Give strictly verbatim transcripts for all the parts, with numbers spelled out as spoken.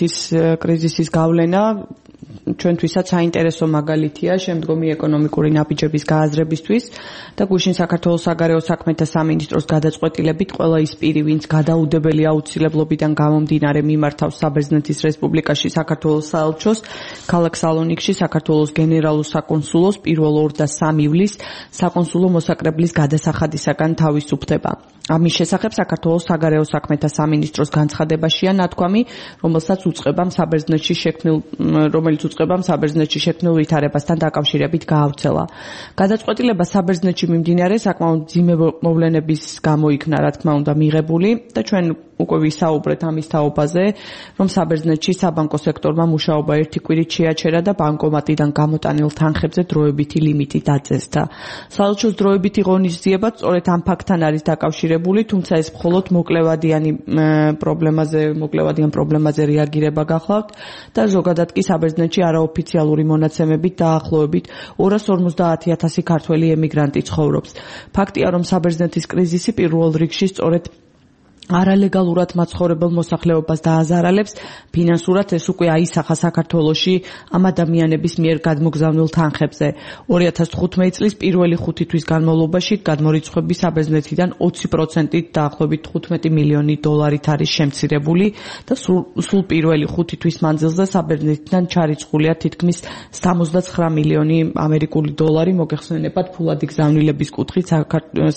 ის კრიზისის გავლენა ჩვენთვისაც საინტერესო მაგალითია შემდგომი ეკონომიკური ნაბიჯების გააზრებისთვის და გუშინ საქართველოს საგარეო საქმეთა სამინისტროს გადაწყვეტილებით ყველა ის პირი, ვინც გადაუდებელი აუცილებლობიდან გამომდინარე მიმართავს საბერძნეთის რესპუბლიკაში საქართველოს საელჩოს, ქალაქ სალონიკში საქართველოს გენერალურ საკონსულოს პირველ ორ და სამ ივლისს საკონსულო მოსაკრებლის გადასახადისაგან თავისუფლდება. ამის შესახებ საქართველოს საგარეო საქმეთა სამინისტროს განცხადებაშია ნათქვამი, რომელსაც უწყებამ საბერძნეთში შექმნილ რომელიც უწყებამ საბერძნეთში შექმნილ ვითარებასთან დაკავშირებით გაავრცელა. გადაწყვეტილება საბერძნეთში მიმდინარე საკმაოდ მძიმე მოვლენების გამო იქნა, რა თქმა უნდა, მიღებული და ჩვენ უკვე ვისაუბრეთ ამის თაობაზე, რომ საბერძნეთში საბანკო სექტორმა მუშაობა ერთი კვირით შეაჩერა და ბანკომატიდან გამოტანილ თანხებზე დროებითი ლიმიტი დაწესდა. საელჩოს დროებითი ღონისძიება სწორედ ამ ფაქტთან არის დაკავშირებული, თუმცა ეს მხოლოდ მოკლევადიანი პრობლემაზე, მოკლევადიან პრობლემაზე რეაგირება გახლავთ და ზოგადად კი საბერძნეთში არაოფიციალური მონაცემებით დაახლოებით ორას ორმოცდაათი ათასი ქართველი ემიგრანტი ცხოვრობს. ფაქტია, რომ საბერძნეთის კრიზისი პირველ რიგში სწორედ არალეგალურად მაცხოვრებელ მოსახლეობას დააზარალებს, ფინანსურად ეს უკვე აისახა საქართველოში ამ ადამიანების მიერ გადმოგზავნილ თანხებზე. ორი ათას თხუთმეტი წლის პირველი ხუთი თვის განმავლობაში გადმორიცხვები საბერძნეთიდან ოცი პროცენტით დაახლოებით თხუთმეტი მილიონი დოლარით არის შემცირებული და სულ პირველი ხუთი თვის მანძილზე საბერძნეთიდან ჩარიცხულია თითქმის სამოცდაცხრა მილიონი ამერიკული დოლარი, მოგეხსენებათ ფულადი გზავნილების კუთხით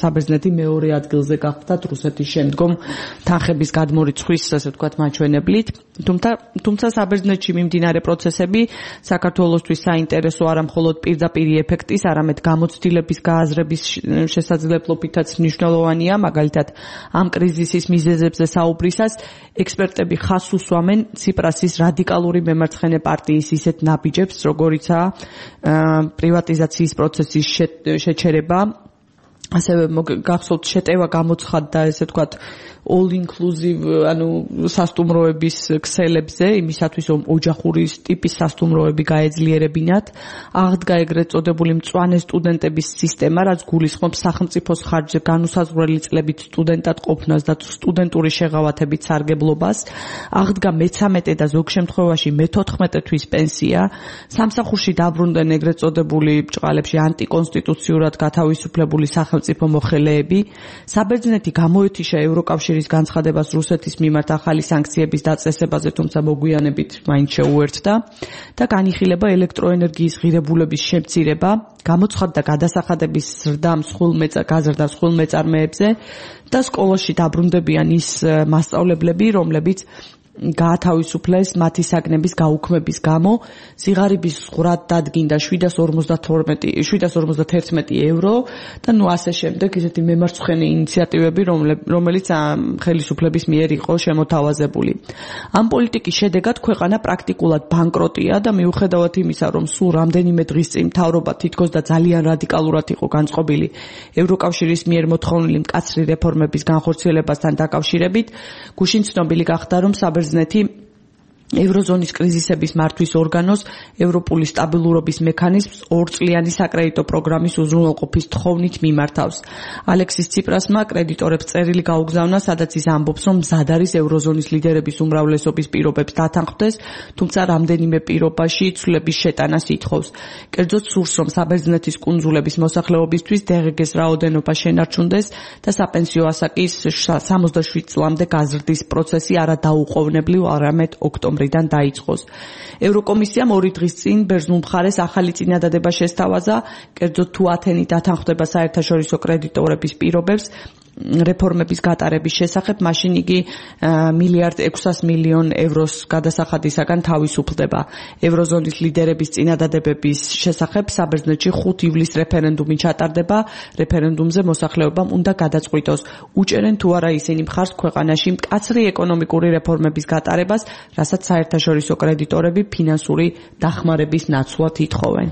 საბერძნეთი მეორე ადგილზე გახდა რუსეთის შემდგომ თანხების გადმორიცხვის, ასე ვთქვათ, მაჩვენებლით. თუმცა, თუმცა საბერძნეთში მიმდინარე პროცესები საქართველოსთვის საინტერესო არა მხოლოდ პირდაპირი ეფექტის, არამედ გამოცდილების გააზრების შესაძლებლობითაც მნიშვნელოვანია, მაგალითად, ამ კრიზისის მიზეზებზე საუბრისას ექსპერტები ხაზს უსვამენ ციპრასის რადიკალური მემარცხენე პარტიის ისეთ ნაბიჯებს, როგორიცაა პრივატიზაციის პროცესის შეჩერება, ასევე გახსოვთ შეტევა გამოცხადდა, ესე ვთქვათ, all inclusive, ანუ სასტუმროების ქსელებზე, იმისათვის რომ ოჯახური ტიპის სასტუმროები გაეძლიერებინათ, აღდგა ეგრეთ წოდებული მწვანე სტუდენტების სისტემა, რაც გულისხმობს სახელმწიფოს ხარჯზე განუსაზღვრელი წლებით სტუდენტად ყოფნას და სტუდენტური შეღავათებით სარგებლობას, აღდგა მეცამეტე და ზოგ შემთხვევაში მეთოთხმეტე თვის პენსია, სამსახურში დაბრუნდნენ ეგრეთ წოდებული ბჭყალებში ანტიკონსტიტუციურად გათავისუფლებული სახელმწიფო მოხელეები, საბერძნეთი გამოეთიშა ევროკავშირის განცხადებას რუსეთის მიმართ ახალი სანქციების დაწესებაზე, თუმცა მოგვიანებით მაინც შეუერთდა და განიხილება ელექტროენერგიის ღირებულების შემცირება, გამოცხადდა გადასახადების ზრდა მსხვილ გაზრდა მსხვილ მეწარმეებზე და სკოლაში დაბრუნდებიან ის მასწავლებლები, რომლებიც გაათავისუფლეს მათი საგნების გაუქმების გამო, სიღარიბის ზღვრად დადგინდა შვიდას ორმოცდაერთმეტი ევრო და ნუ ასე შემდეგ ისეთი მემარცხენე ინიციატივები, რომელიც ხელისუფლების მიერ იყო შემოთავაზებული. ამ პოლიტიკის შედეგად ქვეყანა პრაქტიკულად ბანკროტია და მიუხედავად იმისა, რომ სულ რამდენიმე დღის წინ მთავრობა თითქოს და ძალიან რადიკალურად იყო განწყობილი ევროკავშირის მიერ მოთხოვნილი მკაცრი რეფორმების განხორციელებასთან დაკავშირებით, გუშინ ცნობილი გახდა, რომ საბერძნეთი ევროზონის კრიზისების მართვის ორგანოს ევროპული სტაბილურობის მექანიზმს ორწლიანი საკრედიტო პროგრამის უზრუნველყოფის თხოვნით მიმართავს. ალექსის ციპრასმა კრედიტორებს წერილი გაუგზავნა, სადაც ის ამბობს, რომ მზად არის ევროზონის ლიდერების უმრავლესობის პირობებს დათანხმდეს, თუმცა რამდენიმე პირობაში ცვლილების შეტანას ითხოვს. კერძოდ სურს, რომ საბერძნეთის კუნძულების მოსახლეობისთვის დე ღე გეს რაოდენობა შენარჩუნდეს და საპენსიო ასაკის სამოცდაშვიდ წლამდე გაზრდის პროცესი არა დაუყოვნებლივ, არამედ ოქტომბერში რიდან დაიწყოს. ევროკომისიამ ორი დღის წინ ბერძნულ მხარეს ახალი წინადადება შესთავაზა, კერძოდ თუ ათენი დათანხმდება საერთაშორისო კრედიტორების პირობებს რეფორმების გატარების შესახებ, მაშინ იგი მილიარდ ექვსას მილიონ ევროს გადასახადისაგან თავისუფლდება. ევროზონის ლიდერების წინადადებების შესახებ საბერძნეთში ხუთ ივლისს რეფერენდუმი ჩატარდება, რეფერენდუმზე მოსახლეობამ უნდა გადაწყვიტოს, უჭერენ თუ არა ისინი მხარს ქვეყანაში მკაცრი ეკონომიკური რეფორმების გატარებას, რასაც საერთაშორისო კრედიტორები ფინანსური დახმარების ნაცვლად ითხოვენ.